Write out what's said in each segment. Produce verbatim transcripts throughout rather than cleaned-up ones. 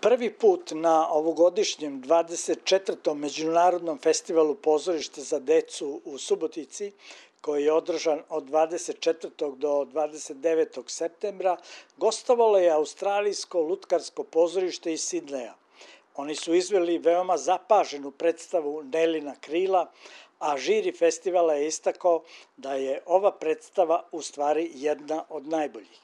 Prvi put na ovogodišnjem dvadeset četvrtom Međunarodnom festivalu pozorišta za decu u Subotici, koji je održan od dvadeset četvrtog do dvadeset devetog septembra, gostovalo je australijsko lutkarsko pozorište iz Sidneja. Oni su izveli veoma zapaženu predstavu Nelina krila, a žiri festivala je istakao da je ova predstava u stvari jedna od najboljih.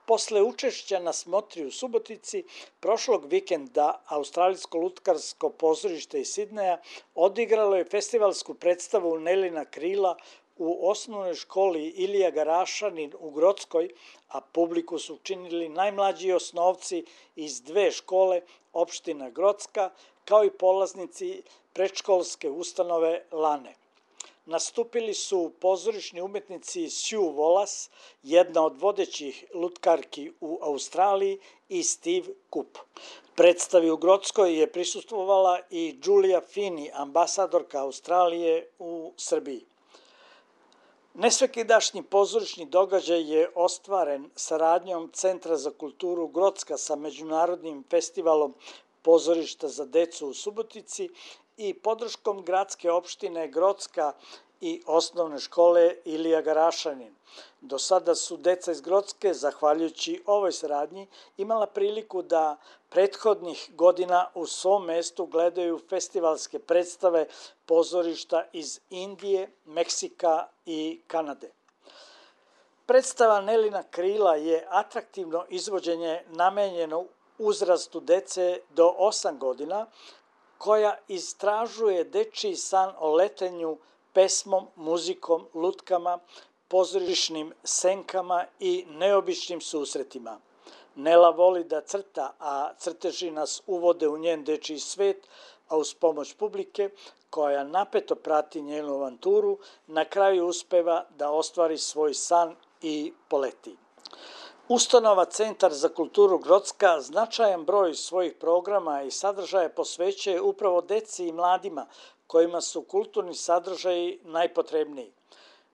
Posle učešća na smotri u Subotici, prošlog vikenda Australijsko lutkarsko pozorište iz Sidneja odigralo je festivalsku predstavu Nelina krila u osnovnoj školi Ilija Garašanin u Grockoj, a publiku su činili najmlađi osnovci iz dve škole, opština Grocka, kao i polaznici predškolske ustanove Lane. Nastupili su pozorišni umetnici Sue Wallace, jedna od vodećih lutkarki u Australiji, i Steve Coop. Predstavi u Grockoj je prisustvovala i Julia Finney, ambasadorka Australije u Srbiji. Nesvekidašnji pozorišni događaj je ostvaren saradnjom Centra za kulturu Grocka sa Međunarodnim festivalom pozorišta za decu u Subotici i podrškom gradske opštine Grocka i osnovne škole Ilija Garašanin. Do sada su deca iz Grocke, zahvaljujući ovoj saradnji, imala priliku da prethodnih godina u svom mestu gledaju festivalske predstave pozorišta iz Indije, Meksika i Kanade. Predstava Nelina krila je atraktivno izvođenje namenjeno uzrastu dece do osam godina, koja istražuje dečiji san o letenju pesmom, muzikom, lutkama, pozorišnim senkama i neobičnim susretima. Nela voli da crta, a crteži nas uvode u njen dečiji svet, a uz pomoć publike, koja napeto prati njenu avanturu, na kraju uspeva da ostvari svoj san i poleti. Ustanova Centar za kulturu Grocka značajan broj svojih programa i sadržaja posvećuje upravo deci i mladima, kojima su kulturni sadržaji najpotrebniji.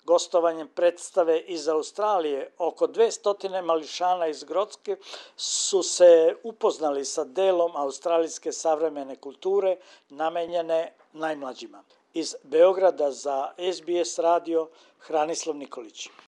Gostovanjem predstave iz Australije, oko dvesta mališana iz Grocke su se upoznali sa delom australijske savremene kulture namenjene najmlađima. Iz Beograda za S B S radio, Hranislav Nikolić.